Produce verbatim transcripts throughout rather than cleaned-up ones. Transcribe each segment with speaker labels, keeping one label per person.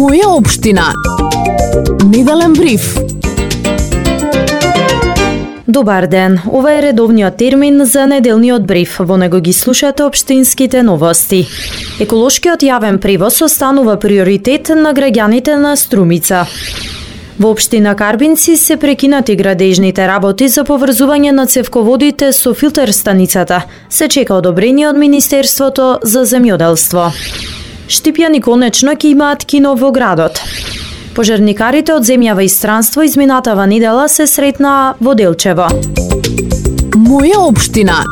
Speaker 1: Моја општина. Неделен бриф.
Speaker 2: Добар ден, ова е редовниот термин за неделниот бриф. Во него ги слушате општинските новости. Еколошкиот јавен превоз останува приоритет на граѓаните на Струмица. Во општина Карбинци се прекинати градежните работи за поврзување на цевководите со филтер станицата. Се чека одобрение од Министерството за земјоделство. Штипјани конечно ќе имаат кино во градот. Пожарникарите од земјава и странство изминатава недела се сретнаа во Делчево.
Speaker 1: Моја општина.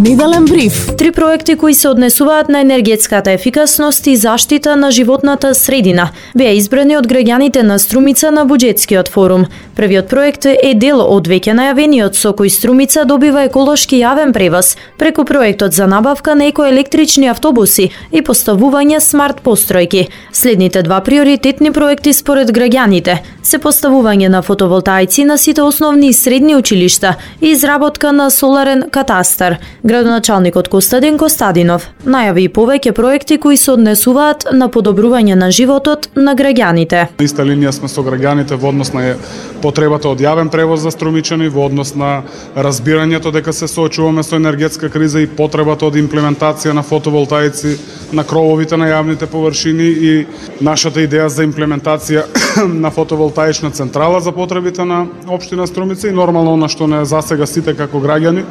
Speaker 1: Неделен бриф.
Speaker 2: Три проекти кои се однесуваат на енергетската ефикасност и заштита на животната средина беа избрани од граѓаните на Струмица на буџетскиот форум. Првиот проект е дел од веќе најавениот со кој Струмица добива еколошки јавен превоз преку проектот за набавка на екоелектрични автобуси и поставување смарт постројки. Следните два приоритетни проекти според граѓаните се поставување на фотоволтаици на сите основни и средни училишта и изработка на соларен катастар. Градоначалникот Костадин Костадинов најави и повеќе проекти кои се однесуваат на подобрување на животот на граѓаните.
Speaker 3: На иста линија сме со граѓаните во однос на потребата од јавен превоз за струмичани, во однос на разбирањето дека се соочуваме со енергетска криза и потребата од имплементација на фотоволтаици на крововите на јавните површини и нашата идеја за имплементација на фотоволтаична централа за потребите на општина Струмица и нормално она што не засега сите како граѓани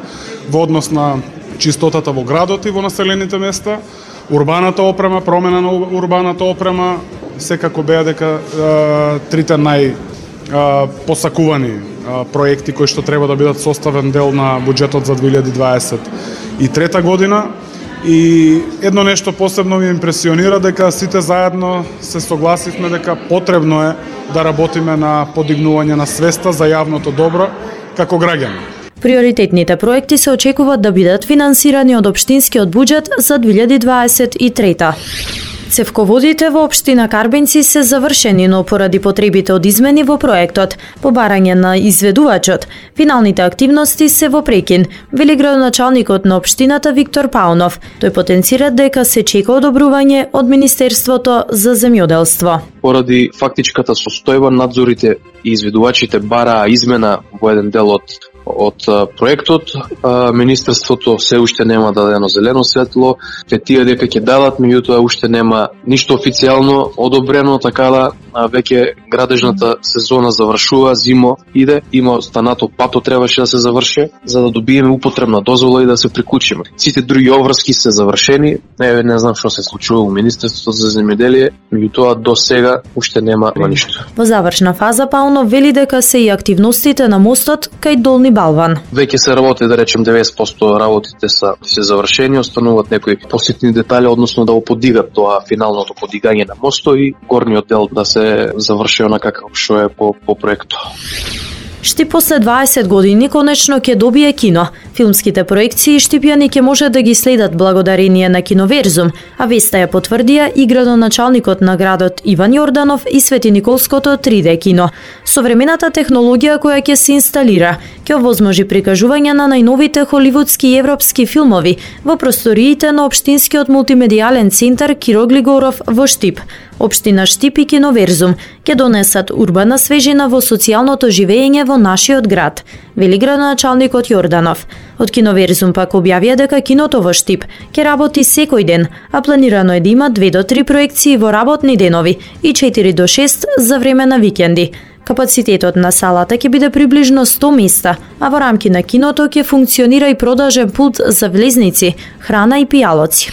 Speaker 3: во однос на чистотата во градот и во населените места, урбаната опрема, промена на урбаната опрема, секако беа дека е, трите нај посакувани проекти кои што треба да бидат составен дел на буџетот за две илјади дваесет и трета година. И едно нешто посебно ми импресионира дека сите заедно се согласивме дека потребно е да работиме на подигнување на свеста за јавното добро како граѓани.
Speaker 2: Приоритетните проекти се очекуваат да бидат финансирани од општинскиот буџет за две илјади дваесет и трета. Цевководите во општина Карбинци се завршени, но поради потребите од измени во проектот, по барање на изведувачот, финалните активности се во прекин, вели градоначалникот на општината Виктор Паунов. Тој потенцира дека се чека одобрување од Министерството за земјоделство.
Speaker 4: Поради фактичката состојба, надзорите и изведувачите бараа измена во еден дел од од проектот. Министерството се уште нема дадено зелено светло, те тие дека ќе дадат, меѓутоа уште нема ништо официјално одобрено, така да веќе градежната сезона завршува, зимо иде, има останато пато требаше да се заврши за да добиеме употребна дозвола и да се приклучиме. Сите други обврски се завршени, не, не знам што се случува во Министерството за земјоделие, меѓутоа до сега уште нема ништо.
Speaker 2: Во завршна фаза Паунов вели дека се и активностите на мостот кај Долни Балван.
Speaker 4: Веќе се работи, да речем деветдесет проценти работите се се завршени, остануваат некои поситни детали, односно да го подигат тоа финалното подигање на мостот и горниот дел да се заврши онака како што е по, по проектот.
Speaker 2: Штип после дваесет години конечно ќе добие кино. Филмските проекции Штипјани ќе може да ги следат благодарение на Киноверзум, а веста ја потврдија и градоначалникот на градот Иван Јорданов и Свети Николското три Д кино. Современата технологија која ќе се инсталира ќе овозможи прикажување на најновите холивудски и европски филмови во просториите на општинскиот мултимедијален центар Киро Глигоров во Штип. Општина Штип и Киноверзум ќе донесат урбана свежина во социјалното живење во нашиот град, вели градоначалникот Јорданов. Од Киноверзум пак објавија дека киното во Штип ќе работи секој ден, а планирано е да има две до три проекции во работни денови и четири до шест за време на викенди. Капацитетот на салата ќе биде приближно сто места, а во рамки на киното ќе функционира и продажен пулт за влезници, храна и пијалоци.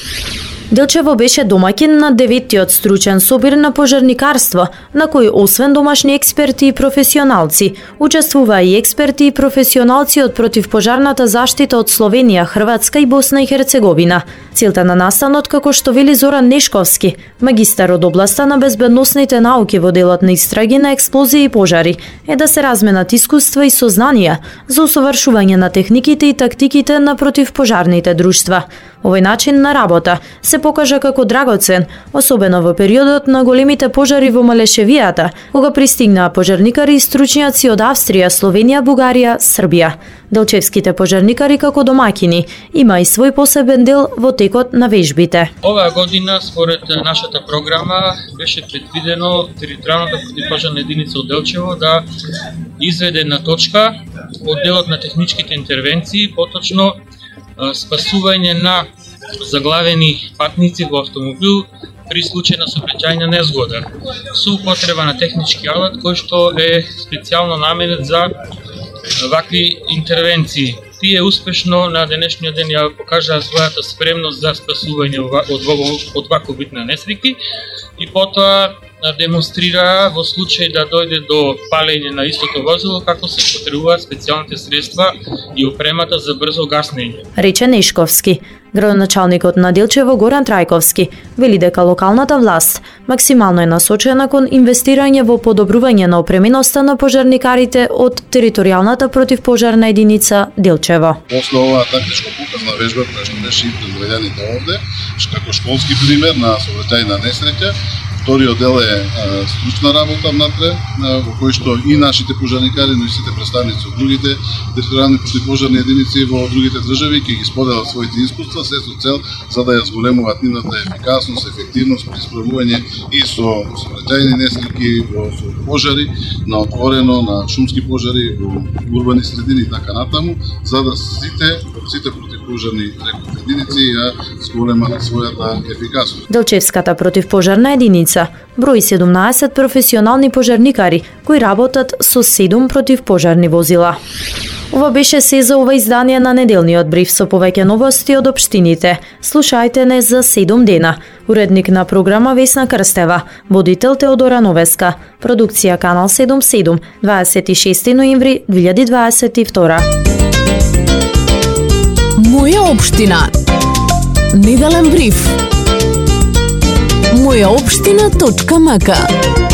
Speaker 2: Делчево беше домаќин на деветиот стручен собир на пожарникарство, на кој освен домашни експерти и професионалци, учествуваа и експерти и професионалци од противпожарната заштита од Словенија, Хрватска и Босна и Херцеговина. Целта на настанот, како што вели Зоран Нешковски, магистар од областа на безбедносните науки во делот на истраги на експлозии и пожари, е да се разменат искуства и сознанија за усовршување на техниките и тактиките на противпожарните друштва. Овој начин на работа се покажа како драгоцен, особено во периодот на големите пожари во Малешевијата, кога пристигнаа пожарникари и стручњаци од Австрија, Словенија, Бугарија, Србија. Делчевските пожарникари како домаќини има и свој посебен дел во текот на вежбите.
Speaker 5: Оваа година, според нашата програма, беше предвидено територијалната противпожарна единица од Делчево да изведе на точка одделот на техничките интервенции, поточно спасување на заглавени патници во автомобил при случај на сообраќајна незгода, со употреба на технички алат кој што е специјално наменет за вакви интервенции. Тие успешно на денешниот ден ја покажаа својата спремност за спасување од ваков вид на несреќи и потоа демонстрира во случај да дојде до палење на истото возило како се потребуваат специјалните средства и опремата за брзо гаснење.
Speaker 2: Рече Нешковски. Градоначалникот на Делчево Горан Трајковски вели дека локалната власт максимално е насочена кон инвестирање во подобрување на опременоста на пожарникарите од територијалната противпожарна единица Делчево.
Speaker 6: После оваа тактичко показна вежба која што беше и предведените овде, како школски пример на сообраќајна несреќа, вториот дел е стручна работа внатре, во кој што и нашите пожарникари, но и сите представници од другите територијални противпожарни единици во другите држави ќе ги споделат своите искуства, се со цел за да ја зголемуваат нивната ефикасност, ефективност при справување и со сообраќајни несреќи, во пожари на отворено, на шумски пожари во урбани средини и така натаму, за да сите сите противпожарни единици ја зголемат својата ефикасност.
Speaker 2: Делчевската противпожарна единица брои седумнаесет професионални пожарникари кои работат со седум противпожарни возила. Ова беше се за ова издание на неделниот бриф со повеќе новости од општините. Слушајте не за седум дена. Уредник на програма Весна Крстева, водител Теодора Новеска, продукција Канал седум седум, дваесет и шести ноември две илјади дваесет и втора.
Speaker 1: Моја општина. Неделен бриф. моја општина точка м к